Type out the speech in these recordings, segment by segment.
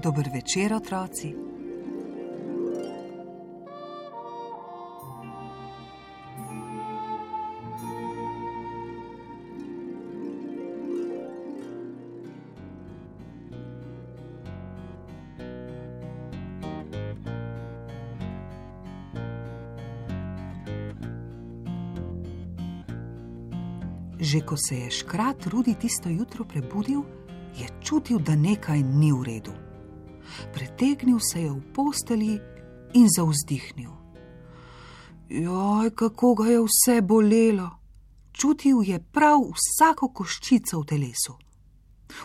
Dober večer, otroci. Že ko se je škrat Rudi tisto jutro prebudil, je čutil, da nekaj ni v redu. Pretegnil se je v posteli in zavzdihnil. Joj, kako ga je vse bolelo. Čutil je prav vsako koščico v telesu.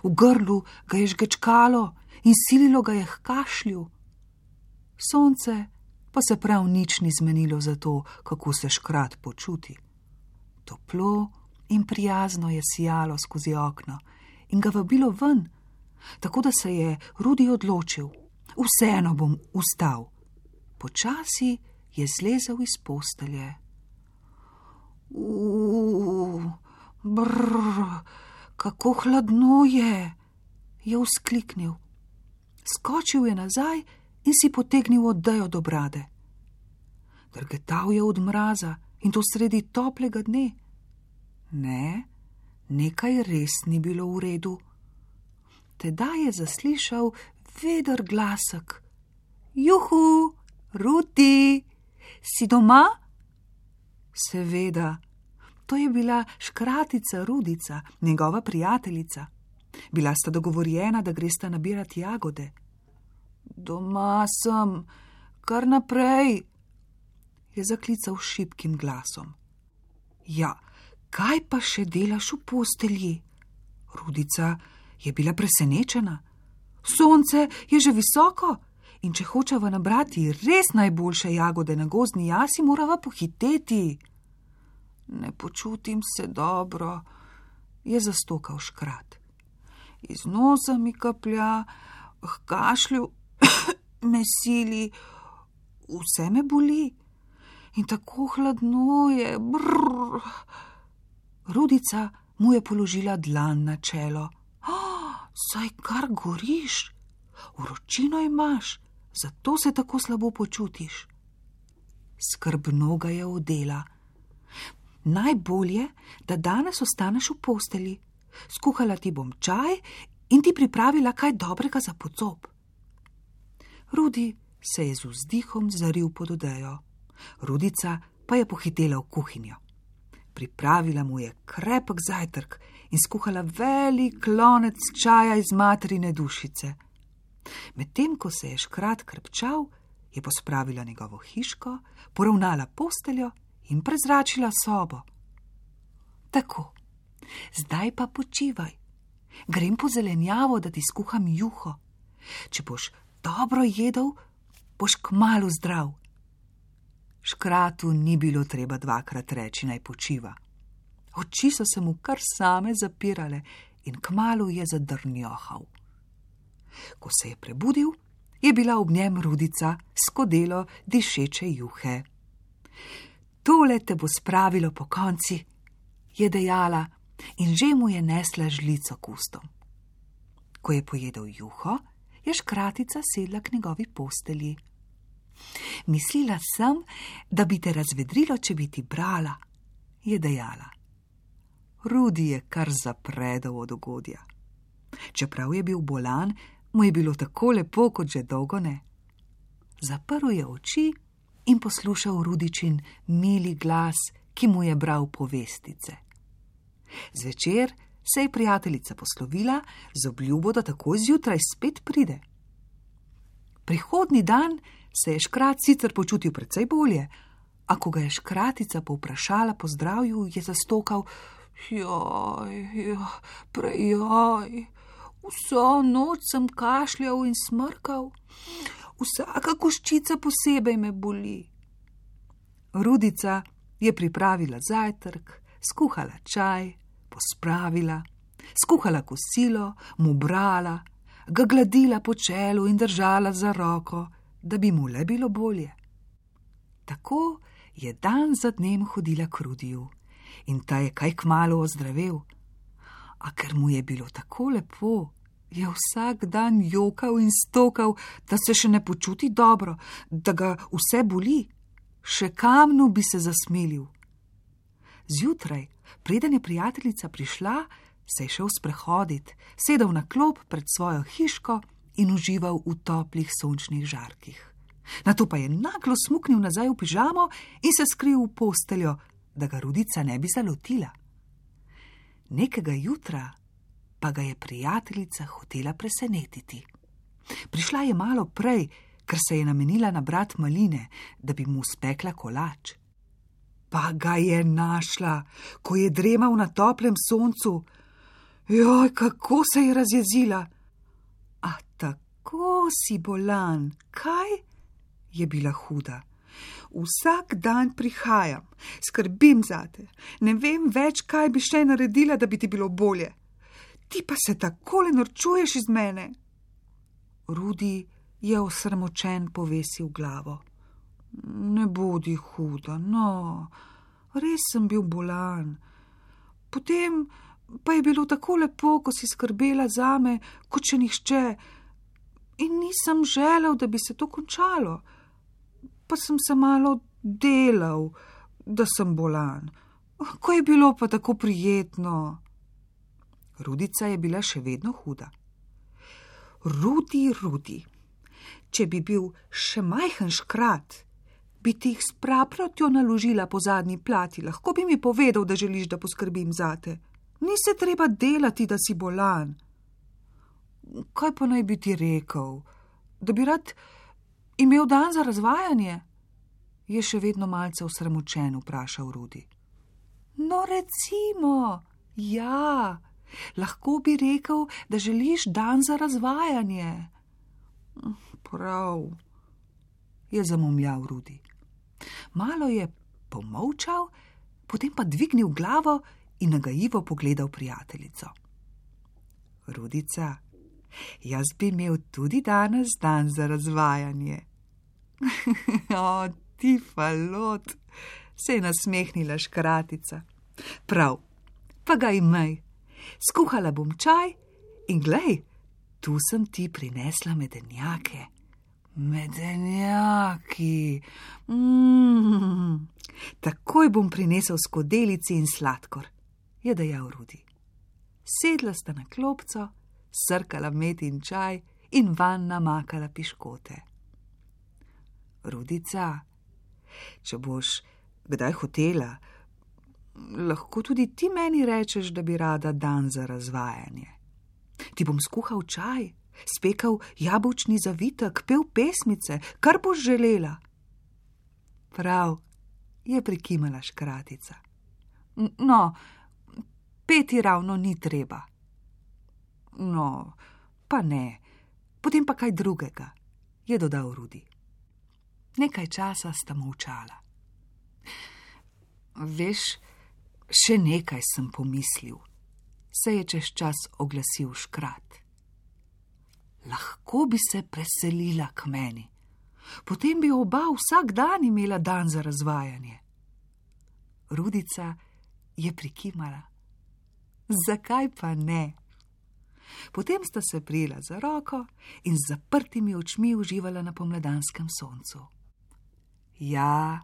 V grlu ga je žgečkalo in sililo ga je h kašlju. Sonce pa se prav nič ni zmenilo za to, kako se škrat počuti. Toplo in prijazno je sijalo skozi okno in ga vabilo ven, tako da se je Rudi odločil. Vseeno bom vstal. Počasi je zlezel iz postelje. Kako hladno je vzkliknil. Skočil je nazaj in si potegnil odejo do brade. Drgetal je od mraza in to sredi toplega dne. Ne, nekaj res ni bilo v redu. Tedaj je zaslišal veder glasek. Juhu, Rudi, si doma? Seveda, to je bila škratica Rudica, njegova prijateljica. Bila sta dogovorjena, da gresta nabirati jagode. Doma sem, kar naprej, je zaklical šibkim glasom. Ja, kaj pa še delaš v postelji? Rudica je bila presenečena. Sonce je že visoko in če hočeva nabrati res najboljše jagode na gozdni jasi, morava pohiteti. Ne počutim se dobro, je zastokal škrat. Iz nosa mi kaplja, k kašlju me sili, vse me boli in tako hladno je. Brrr. Rudica mu je položila dlan na čelo. Saj kar goriš, vročino imaš, zato se tako slabo počutiš. Skrbno ga je odela. Najbolje, da danes ostaneš v posteli. Skuhala ti bom čaj in ti pripravila kaj dobrega za pocop. Rudi se je z vzdihom zaril pod odejo. Rudica pa je pohitela v kuhinjo. Pripravila mu je krepek zajtrk in skuhala velik lonec čaja iz materine dušice. Medtem ko se je škrat krepčal, je pospravila njegovo hiško, poravnala posteljo in prezračila sobo. Tako, zdaj pa počivaj. Grem po zelenjavo, da ti skuham juho. Če boš dobro jedel, boš kmalu zdrav. Škratu ni bilo treba dvakrat reči, naj počiva. Oči so se mu kar same zapirale in kmalu je zadrnjohal. Ko se je prebudil, je bila ob njem Rudica s skodelo dišeče juhe. Tole te bo spravilo po konci, je dejala in že mu je nesla žlico k ustom. Ko je pojedel juho, je škratica sedla k njegovi postelji. Mislila sem, da bi te razvedrilo, če bi ti brala, je dejala. Rudi je kar zapredal od ugodja. Čeprav je bil bolan, mu je bilo tako lepo, kot že dolgo ne. Zaprl je oči in poslušal Rudičin mili glas, ki mu je bral povestice. Zvečer se je prijateljica poslovila z obljubo, da takoj zjutraj spet pride. Prihodnji dan se je škrat sicer počutil precej bolje, a ko ga je škratica povprašala po zdravju, je zastokal: Joj, prejoj, vso noč sem kašljal in smrkal, Vsaka koščica posebej me boli. Rudica je pripravila zajtrk, skuhala čaj, pospravila, skuhala kosilo, mu brala, ga gladila po čelu in držala za roko, da bi mu le bilo bolje. Tako je dan za dnem hodila k Rudiju in ta je kaj kmalu ozdravel. A ker mu je bilo tako lepo, je vsak dan jokal in stokal, da se še ne počuti dobro, da ga vse boli. Še kamnu bi se zasmilil. Zjutraj, preden je prijateljica prišla, se je šel sprehodit, sedel na klop pred svojo hiško in užival v toplih sončnih žarkih. Nato pa je naglo smuknil nazaj v pižamo in se skril v posteljo, da ga Rudica ne bi zalotila. Nekega jutra pa ga je prijateljica hotela presenetiti. Prišla je malo prej, ker se je namenila nabrat maline, da bi mu spekla kolač. Pa ga je našla, ko je dremal na toplem soncu. Joj, kako se je razjezila! A tako si bolan, kaj? Je bila huda. Vsak dan prihajam, skrbim zate, ne vem več, kaj bi še naredila, da bi ti bilo bolje. Ti pa se takole norčuješ iz mene. Rudi je osramočen povesil glavo. Ne bodi huda, no, res sem bil bolan. Potem pa je bilo tako lepo, ko si skrbela zame, kot še nihče. In nisem želel, da bi se to končalo. Pa sem se malo delal, da sem bolan. Ko je bilo pa tako prijetno. Rudica je bila še vedno huda. Rudi, če bi bil še majhen škrat, bi ti jih s praprotjo naložila po zadnji plati, lahko bi mi povedal, da želiš, da poskrbim zate. Ni se treba delati, da si bolan. Kaj pa naj bi ti rekel? Da bi rad imel dan za razvajanje? Je še vedno malce osramočen vprašal Rudi. No, recimo, ja, lahko bi rekel, da želiš dan za razvajanje. Prav, je zamomljal Rudi. Malo je pomolčal, potem pa dvignil glavo in nagajivo pogledal prijateljico. Rudica, jaz bi imel tudi danes dan za razvajanje. O, ti falot, se je nasmehnila škratica. Prav, pa ga imej. Skuhala bom čaj in glej, tu sem ti prinesla medenjake. Medenjaki. Takoj bom prinesel skodelici in sladkor, je dejal Rudi. Sedla sta na klopco, srkala med in čaj in vanj namakala piškote. Rudica, če boš kdaj hotela, lahko tudi ti meni rečeš, da bi rada dan za razvajanje. Ti bom skuhal čaj, spekal jabolčni zavitek, pel pesmice, kar boš želela. Prav, je prikimala škratica. No, peti ravno ni treba. No, pa ne, potem pa kaj drugega, je dodal Rudi. Nekaj časa sta molčala. Veš, še nekaj sem pomislil, se je čez čas oglasil škrat. Lahko bi se preselila k meni, potem bi oba vsak dan imela dan za razvajanje. Rudica je prikimala. Zakaj pa ne? Potem sta se prijela za roko in z zaprtimi očmi uživala na pomladanskem soncu. Ja,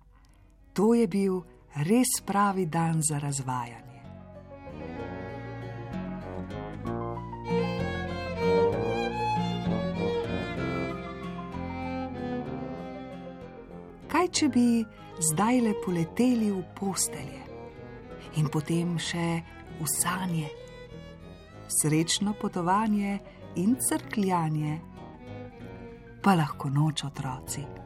to je bil res pravi dan za razvajanje. Kaj, če bi zdajle poleteli v postelje in potem še v sanje? Srečno potovanje in crkljanje, pa lahko noč, otroci.